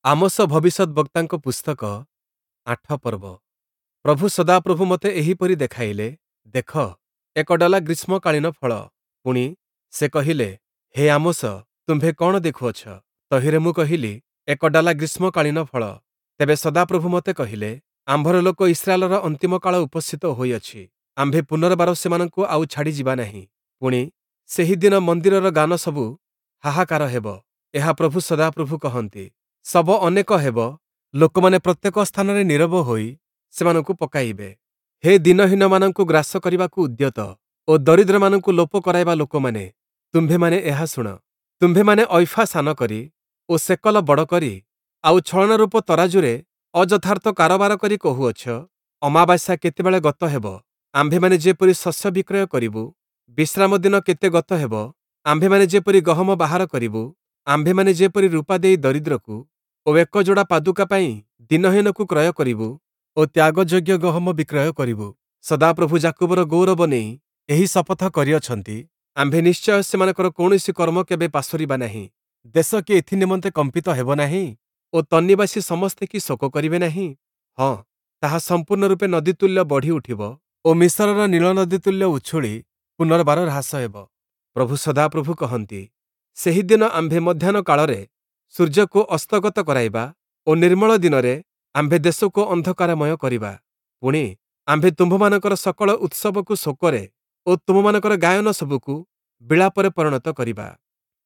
Amos ଭବିଷ୍ୟଦ୍‌ବକ୍ତାଙ୍କ ପୁସ୍ତକ 8 ପର୍ବ। ପ୍ରଭୁ ସଦାପ୍ରଭୁ ମୋତେ ଏହିପରି ଦେଖାଇଲେ, ଦେଖ, ଏକ ଡଲା ଗ୍ରୀଷ୍ମକାଳୀନ ଫଳ। ପୁଣି, ସେ କହିଲେ, ହେ ଆମୋସ, ତୁମ୍ଭେ କଅଣ ଦେଖୁଅଛ? ତହିଁରେ ମୁଁ କହିଲି, ଏକ ଡାଲା ଗ୍ରୀଷ୍ମକାଳୀନ ଫଳ। ତେବେ ସଦାପ୍ରଭୁ ମୋତେ କହିଲେ, ଆମ୍ଭର ଲୋକ ଇସ୍ରାଏଲର ଅନ୍ତିମ କାଳ ଉପସ୍ଥିତ ହୋଇଅଛି, ଆମ୍ଭେ ପୁନର୍ବାର ସେମାନଙ୍କୁ ଆଉ ଛାଡ଼ିଯିବା ନାହିଁ। ପୁଣି, ସେହି ଦିନ ମନ୍ଦିରର ଗାନ ସବୁ ହାହାକାର ହେବ, ଏହା ପ୍ରଭୁ ସଦାପ୍ରଭୁ କହନ୍ତି। ଶବ ଅନେକ ହେବ, ଲୋକମାନେ ପ୍ରତ୍ୟେକ ସ୍ଥାନରେ ନୀରବ ହୋଇ ସେମାନଙ୍କୁ ପକାଇବେ। ହେ ଦୀନହୀନମାନଙ୍କୁ ଗ୍ରାସ କରିବାକୁ ଉଦ୍ୟତ ଓ ଦରିଦ୍ରମାନଙ୍କୁ ଲୋପ କରାଇବା ଲୋକମାନେ, ତୁମ୍ଭେମାନେ ଏହା ଶୁଣ। ତୁମ୍ଭେମାନେ ଐଫା ସାନ କରି ଓ ସେକଲ ବଡ଼ କରି ଆଉ ଛଳନା ରୂପ ତରାଜୁରେ ଅଯଥାର୍ଥ କାରବାର କରି କହୁଅଛ, ଅମାବାସ୍ୟା କେତେବେଳେ ଗତ ହେବ, ଆମ୍ଭେମାନେ ଯେପରି ଶସ୍ୟ ବିକ୍ରୟ କରିବୁ? ବିଶ୍ରାମ ଦିନ କେତେ ଗତ ହେବ, ଆମ୍ଭେମାନେ ଯେପରି ଗହମ ବାହାର କରିବୁ? ଆମ୍ଭେମାନେ ଯେପରି ରୂପା ଦେଇ ଦରିଦ୍ରକୁ ଓ ଏକ ଯୋଡ଼ା ପାଦୁକା ପାଇଁ ଦୀନହୀନକୁ କ୍ରୟ କରିବୁ ଓ ତ୍ୟାଗଯୋଗ୍ୟ ଗହମ ବିକ୍ରୟ କରିବୁ? ସଦାପ୍ରଭୁ ଯାକୁବର ଗୌରବ ନେଇ ଏହି ଶପଥ କରିଅଛନ୍ତି, ଆମ୍ଭେ ନିଶ୍ଚୟ ସେମାନଙ୍କର କୌଣସି କର୍ମ କେବେ ପାସୋରିବା ନାହିଁ। ଦେଶ କି ଏଥି ନିମନ୍ତେ କମ୍ପିତ ହେବ ନାହିଁ ଓ ତନ୍ନିବାସୀ ସମସ୍ତେ କି ଶୋକ କରିବେ ନାହିଁ? ହଁ, ତାହା ସମ୍ପୂର୍ଣ୍ଣ ରୂପେ ନଦୀ ତୁଲ୍ୟ ବଢ଼ି ଉଠିବ ଓ ମିଶରର ନୀଳ ନଦୀ ତୁଲ୍ୟ ଉଛୁଳି ପୁନର୍ବାର ହ୍ରାସ ହେବ। ପ୍ରଭୁ ସଦାପ୍ରଭୁ କହନ୍ତି, ସେହିଦିନ ଆମ୍ଭେ ମଧ୍ୟାହ୍ନ କାଳରେ ସୂର୍ଯ୍ୟକୁ ଅସ୍ତଗତ କରାଇବା ଓ ନିର୍ମଳ ଦିନରେ ଆମ୍ଭେ ଦେଶକୁ ଅନ୍ଧକାରମୟ କରିବା। ପୁଣି, ଆମ୍ଭେ ତୁମ୍ଭମାନଙ୍କର ସକଳ ଉତ୍ସବକୁ ଶୋକରେ ଓ ତୁମମାନଙ୍କର ଗାୟନ ସବୁକୁ ବିଳାପରେ ପରିଣତ କରିବା।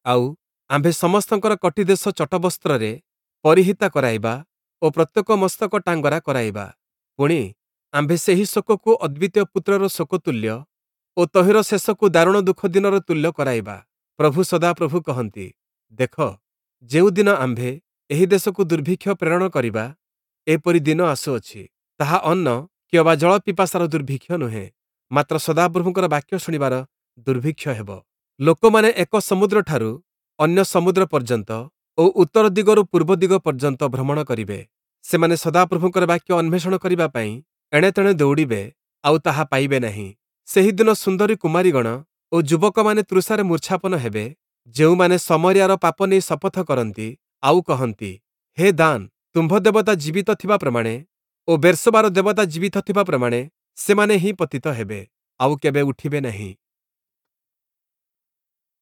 ଆଉ ଆମ୍ଭେ ସମସ୍ତଙ୍କର କଟିଦେଶ ଚଟବସ୍ତ୍ରରେ ପରିହିତା କରାଇବା ଓ ପ୍ରତ୍ୟେକ ମସ୍ତକ ଟାଙ୍ଗରା କରାଇବା। ପୁଣି, ଆମ୍ଭେ ସେହି ଶୋକକୁ ଅଦ୍ୱିତୀୟ ପୁତ୍ରର ଶୋକ ତୁଲ୍ୟ ଓ ତହିଁର ଶେଷକୁ ଦାରୁଣ ଦୁଃଖ ଦିନର ତୁଲ୍ୟ କରାଇବା। ପ୍ରଭୁ ସଦାପ୍ରଭୁ କହନ୍ତି, ଦେଖ, ଯେଉଁଦିନ ଆମ୍ଭେ ଏହି ଦେଶକୁ ଦୁର୍ଭିକ୍ଷ ପ୍ରେରଣ କରିବା, ଏପରି ଦିନ ଆସୁଅଛି, ତାହା ଅନ୍ନ କିଅବା ଜଳ ପିପାସାର ଦୁର୍ଭିକ୍ଷ ନୁହେଁ, ମାତ୍ର ସଦାପ୍ରଭୁଙ୍କର ବାକ୍ୟ ଶୁଣିବାର ଦୁର୍ଭିକ୍ଷ ହେବ। ଲୋକମାନେ ଏକ ସମୁଦ୍ରଠାରୁ ଅନ୍ୟ ସମୁଦ୍ର ପର୍ଯ୍ୟନ୍ତ ଓ ଉତ୍ତର ଦିଗରୁ ପୂର୍ବ ଦିଗ ପର୍ଯ୍ୟନ୍ତ ଭ୍ରମଣ କରିବେ। ସେମାନେ ସଦାପ୍ରଭୁଙ୍କର ବାକ୍ୟ ଅନ୍ୱେଷଣ କରିବା ପାଇଁ ଏଣେତେଣେ ଦୌଡ଼ିବେ, ଆଉ ତାହା ପାଇବେ ନାହିଁ। ସେହିଦିନ ସୁନ୍ଦରୀ କୁମାରୀଗଣ ଓ ଯୁବକମାନେ ତୃଷାରେ ମୂର୍ଚ୍ଛାପନ ହେବେ, ଯେଉଁମାନେ ଶମରିୟାର ପାପ ନେଇ ଶପଥ କରନ୍ତି, ଆଉ କହନ୍ତି, ହେ ଦାନ, ତୁମ୍ଭ ଦେବତା ଜୀବିତ ଥିବା ପ୍ରମାଣେ ଓ ବେର୍ଶେବାର ଦେବତା ଜୀବିତ ଥିବା ପ୍ରମାଣେ ସେମାନେ ହିଁ ପତିତ ହେବେ, ଆଉ କେବେ ଉଠିବେ ନାହିଁ।